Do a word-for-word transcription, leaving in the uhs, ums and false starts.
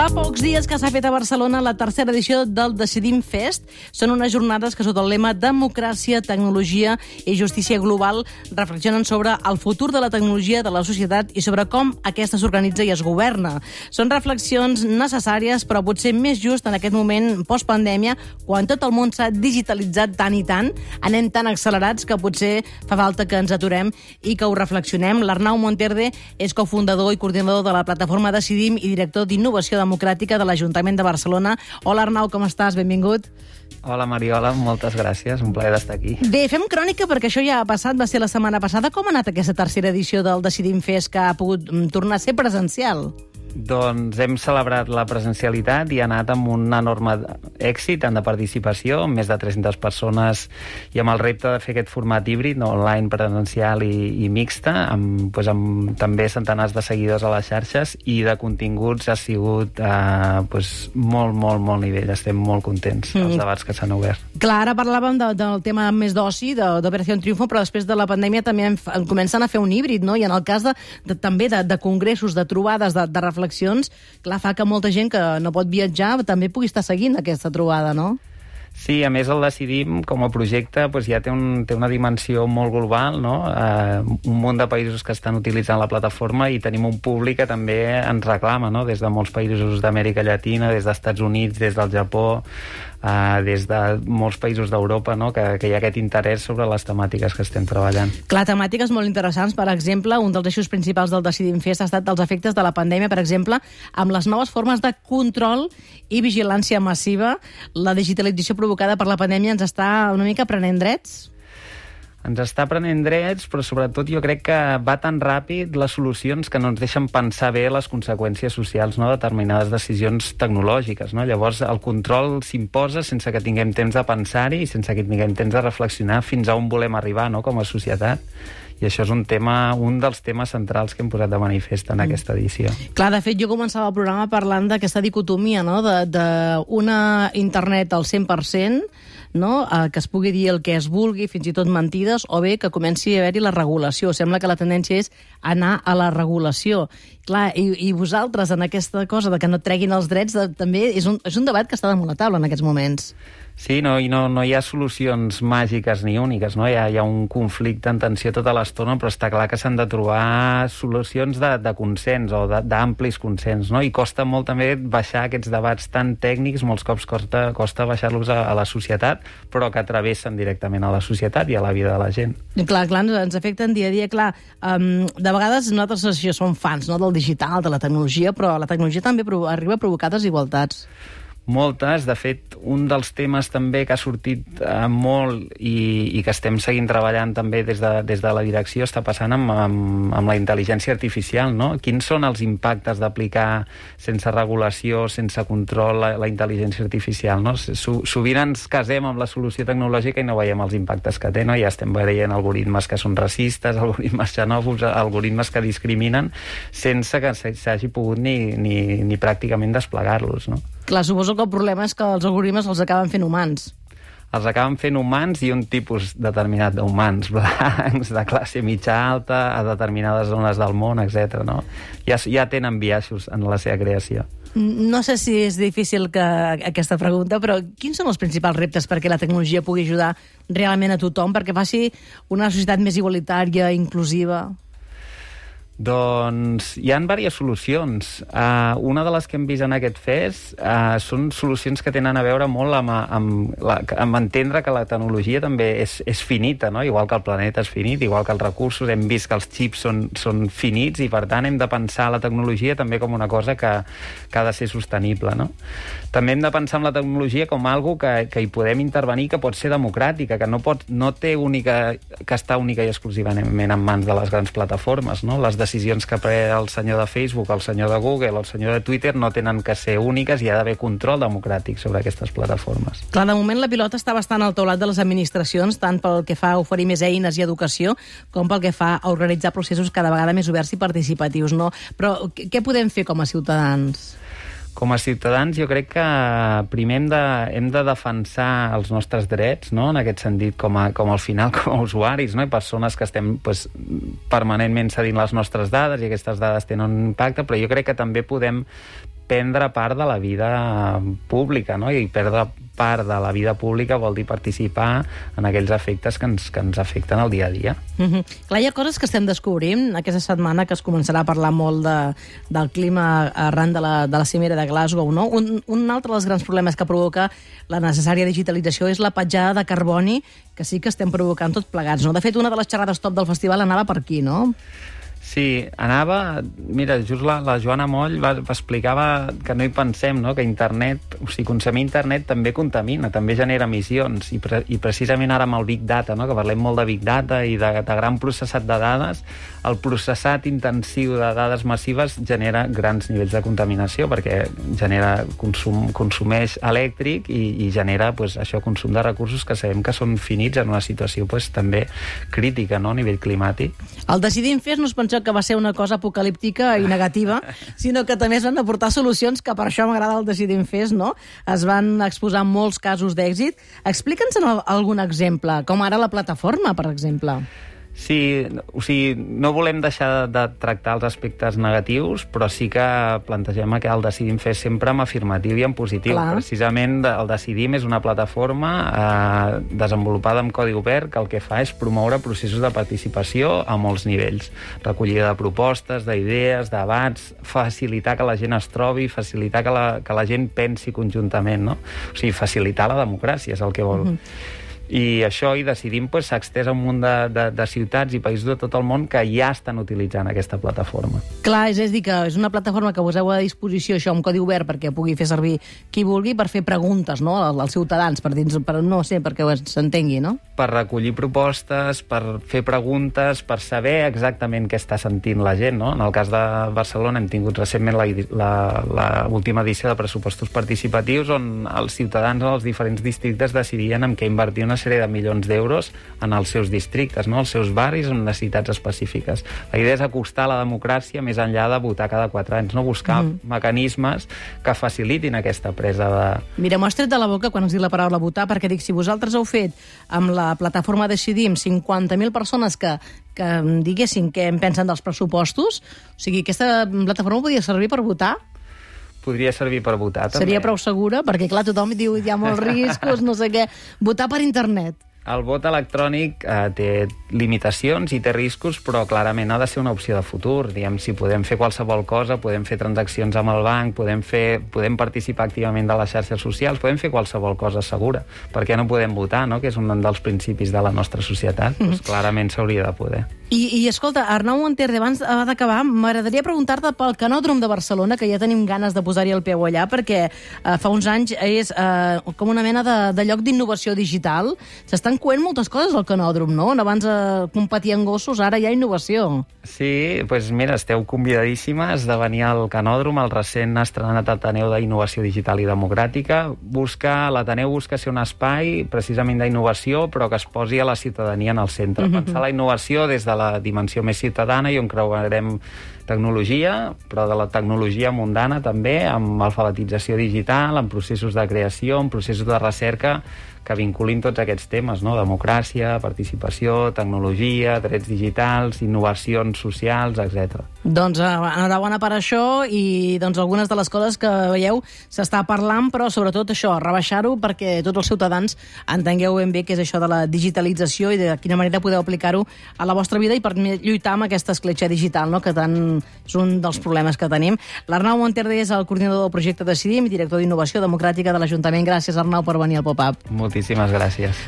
Fa pocs dies que s'ha fet a Barcelona la tercera edició del Decidim Fest. Són unes jornades que, sota el lema Democràcia, Tecnologia i Justícia Global, reflexionen sobre el futur de la tecnologia de la societat i sobre com aquesta s'organitza i es governa. Són reflexions necessàries, però potser més just en aquest moment postpandèmia, quan tot el món s'ha digitalitzat tant i tant, anem tan accelerats que potser fa falta que ens aturem i que ho reflexionem. L'Arnau Monterde és cofundador i coordinador de la plataforma Decidim i director d'Innovació Democràtica de l'Ajuntament de Barcelona. Hola, Arnau, com estàs? Benvingut. Hola, Mariola, moltes gràcies, un plaer d'estar aquí. Bé, fem crònica perquè això ja ha passat, va ser la setmana passada. Com ha anat aquesta tercera edició del Decidim Fest, que ha pogut tornar a ser presencial? Doncs hem celebrat la presencialitat i ha anat amb un enorme èxit tant de participació, amb més de tres-centes persones, i amb el repte de fer aquest format híbrid, no, online, presencial i, i mixta, amb, doncs, amb també centenars de seguidors a les xarxes, i de continguts ha sigut eh, doncs, molt, molt, molt nivell. Estem molt contents dels mm. debats que s'han obert. Clar, ara parlàvem de, del tema més d'oci, d'Operació Triunfo, però després de la pandèmia també en, en comencen a fer un híbrid, no? I en el cas de, de, també de, de congressos, de trobades, de, de reflexions, clar, fa que molta gent que no pot viatjar també pugui estar seguint aquesta trobada, no? Sí, a més el Decidim com a projecte doncs ja té, un, té una dimensió molt global, no? Eh, un munt de països que estan utilitzant la plataforma i tenim un públic que també ens reclama, no? Des de molts països d'Amèrica Llatina, des dels Estats Units, des del Japó, eh, des de molts països d'Europa, no? que, que hi ha aquest interès sobre les temàtiques que estem treballant. Clar, temàtiques molt interessants. Per exemple, un dels eixos principals del Decidim Fest ha estat els efectes de la pandèmia, per exemple, amb les noves formes de control i vigilància massiva. La digitalització provocada per la pandèmia ens està una mica prenent drets? Ens està prenent drets, però sobretot jo crec que va tan ràpid les solucions que no ens deixen pensar bé les conseqüències socials, no?, de determinades decisions tecnològiques, no? Llavors el control s'imposa sense que tinguem temps de pensar-hi i sense que tinguem temps de reflexionar fins a on volem arribar, no?, com a societat. I això és un tema, un dels temes centrals que hem posat de manifest en mm. aquesta edició. Clar, de fet, jo començava el programa parlant d'aquesta dicotomia, no?, d'una internet al cent per cent, no?, eh, que es pugui dir el que es vulgui, fins i tot mentides, o bé que comenci a haver-hi la regulació. Sembla que la tendència és anar a la regulació. Clar, i, i vosaltres, en aquesta cosa de que no treguin els drets, de, també és un, és un debat que està damunt la taula en aquests moments. Sí, no, i no, no hi ha solucions màgiques ni úniques, no? Hi ha, hi ha un conflicte en tensió tota l'estona, però està clar que s'han de trobar solucions de, de consens o d'amplis consens, no? I costa molt també baixar aquests debats tan tècnics, molts cops costa, costa baixar-los a, a la societat, però que travessen directament a la societat i a la vida de la gent. Clar, clar, ens afecten dia a dia, clar. Um, de vegades nosaltres això som fans, no?, del digital, de la tecnologia, però la tecnologia també arriba a provocar desigualtats. Moltes. De fet, un dels temes també que ha sortit eh, molt i, i que estem seguint treballant també des de, des de la direcció està passant amb, amb, amb la intel·ligència artificial, no? Quins són els impactes d'aplicar sense regulació, sense control, la, la intel·ligència artificial, no? Sovint ens casem amb la solució tecnològica i no veiem els impactes que té, no? Ja estem veient algoritmes que són racistes, algoritmes xenòfobs, algoritmes que discriminen, sense que s'hagi pogut ni, ni, ni pràcticament desplegar-los, no? Clar, suposo que el problema és que els algoritmes els acaben fent humans. Els acaben fent humans i un tipus determinat d'humans, blancs, de classe mitja alta, a determinades zones del món, etcètera. No? Ja, ja tenen biaixos en la seva creació. No sé si és difícil que aquesta pregunta, però quins són els principals reptes perquè la tecnologia pugui ajudar realment a tothom, perquè faci una societat més igualitària, inclusiva? Doncs hi ha diverses solucions. Uh, una de les que hem vist en aquest fest uh, són solucions que tenen a veure molt amb, amb, la, amb entendre que la tecnologia també és, és finita, no? Igual que el planeta és finit, igual que els recursos, hem vist que els xips són, són finits i per tant hem de pensar la tecnologia també com una cosa que, que ha de ser sostenible, no? També hem de pensar en la tecnologia com algo que, que hi podem intervenir, que pot ser democràtica, que no, pot, no té única, que està única i exclusivament en mans de les grans plataformes, no? Les decisions que pren el senyor de Facebook, el senyor de Google, el senyor de Twitter no tenen que ser úniques i ha d'haver control democràtic sobre aquestes plataformes. Clar, de moment la pilota està bastant al taulat de les administracions, tant pel que fa a oferir més eines i educació, com pel que fa a organitzar processos cada vegada més oberts i participatius, no? Però què podem fer com a ciutadans? Com a ciutadans jo crec que primer hem de, hem de defensar els nostres drets, no? En aquest sentit, com, a, com al final com a usuaris, no? I persones que estem pues, permanentment cedint les nostres dades i aquestes dades tenen un impacte, però jo crec que també podem prendre part de la vida pública, no? I perdre part de la vida pública vol dir participar en aquells efectes que ens, que ens afecten al dia a dia. Mm-hmm. Clar, hi ha coses que estem descobrint aquesta setmana, que es començarà a parlar molt de, del clima arran de la, de la cimera de Glasgow, no? Un, un altre dels grans problemes que provoca la necessària digitalització és la petjada de carboni, que sí que estem provocant tots plegats, no? De fet, una de les xerrades top del festival anava per aquí, no? Sí, anava... Mira, just la, la Joana Moll va, va explicava que no hi pensem, no? Que internet, o sigui, consumir internet també contamina, també genera emissions, i, pre, i precisament ara amb el Big Data, no? Que parlem molt de Big Data i de, de gran processat de dades, el processat intensiu de dades massives genera grans nivells de contaminació, perquè genera consum, consumeix elèctric i, i genera pues, això, consum de recursos que sabem que són finits en una situació pues, també crítica, no? A nivell climàtic. El Decidim Fest no es penseu que va ser una cosa apocalíptica i negativa, sinó que també es van aportar solucions, que per això m'agrada el Decidim Fest, no? Es van exposar molts casos d'èxit. Explica'ns algun exemple, com ara la plataforma, per exemple. Sí, o sigui, no volem deixar de tractar els aspectes negatius, però sí que plantegem que el Decidim Fest sempre en afirmatiu i en positiu. Clar. Precisament el Decidim és una plataforma eh, desenvolupada amb codi obert que el que fa és promoure processos de participació a molts nivells. Recollida de propostes, d'idees, debats, facilitar que la gent es trobi, facilitar que la, que la gent pensi conjuntament, no? O sigui, facilitar la democràcia és el que vol. Mm-hmm. I això, i Decidim, pues, s'ha extès a un munt de, de, de ciutats i països de tot el món que ja estan utilitzant aquesta plataforma. Clar, és a dir, que és una plataforma que poseu a disposició això amb codi obert perquè pugui fer servir qui vulgui per fer preguntes, no?, als ciutadans, per dins, per, no sé, perquè s'entengui, no? Per recollir propostes, per fer preguntes, per saber exactament què està sentint la gent, no? En el cas de Barcelona hem tingut recentment l'última edició de pressupostos participatius on els ciutadans dels diferents districtes decidien en què invertir una sèrie de milions d'euros en els seus districtes, no? Els seus barris amb necessitats específiques. La idea és acostar la democràcia més enllà de votar cada quatre anys, no? Buscar mm. mecanismes que facilitin aquesta presa de... Mira, m'ho has tret de la boca quan has dit la paraula votar, perquè dic, si vosaltres heu fet amb la plataforma Decidim cinquanta mil persones que, que diguessin què en pensen dels pressupostos, o sigui, aquesta plataforma podria servir per votar? Podria servir per votar, també. Seria prou segura? Perquè, clar, tothom diu hi ha molts riscos, no sé què. Votar per internet. El vot electrònic eh, té limitacions i té riscos, però clarament ha de ser una opció de futur. Diguem, si podem fer qualsevol cosa, podem fer transaccions amb el banc, podem, fer, podem participar activament de les xarxes socials, podem fer qualsevol cosa segura. Per què no podem votar, no?, que és un dels principis de la nostra societat? Mm. Doncs clarament s'hauria de poder. I, i escolta, Arnau Monterde, abans d'acabar, m'agradaria preguntar-te pel Canòdrom de Barcelona, que ja tenim ganes de posar-hi el peu allà, perquè eh, fa uns anys és eh, com una mena de, de lloc d'innovació digital. S'estan coent moltes coses al Canòdrom, no? Abans eh, competien gossos, ara hi ha innovació. Sí, doncs mira, esteu convidadíssimes de venir al Canòdrom, el recent estrenat Ateneu d'Innovació Digital i Democràtica. Busca, l'Ateneu busca ser un espai precisament d'innovació, però que es posi a la ciutadania en el centre. Mm-hmm. Pensar la innovació des de la dimensió més ciutadana i on creuarem tecnologia, però de la tecnologia mundana també, amb alfabetització digital, amb processos de creació, amb processos de recerca que vinculin tots aquests temes, no? Democràcia, participació, tecnologia, drets digitals, innovacions socials, etcètera. Doncs enhorabona per això i doncs algunes de les coses que veieu s'està parlant, però sobretot això, rebaixar-ho perquè tots els ciutadans entengueu ben bé què és això de la digitalització i de quina manera podeu aplicar-ho a la vostra vida i per lluitar amb aquesta escletxa digital, no?, que tant és un dels problemes que tenim. L'Arnau Monterde és el coordinador del projecte Decidim i director d'Innovació Democràtica de l'Ajuntament. Gràcies, Arnau, per venir al Pop-Up. Moltíssimes gràcies.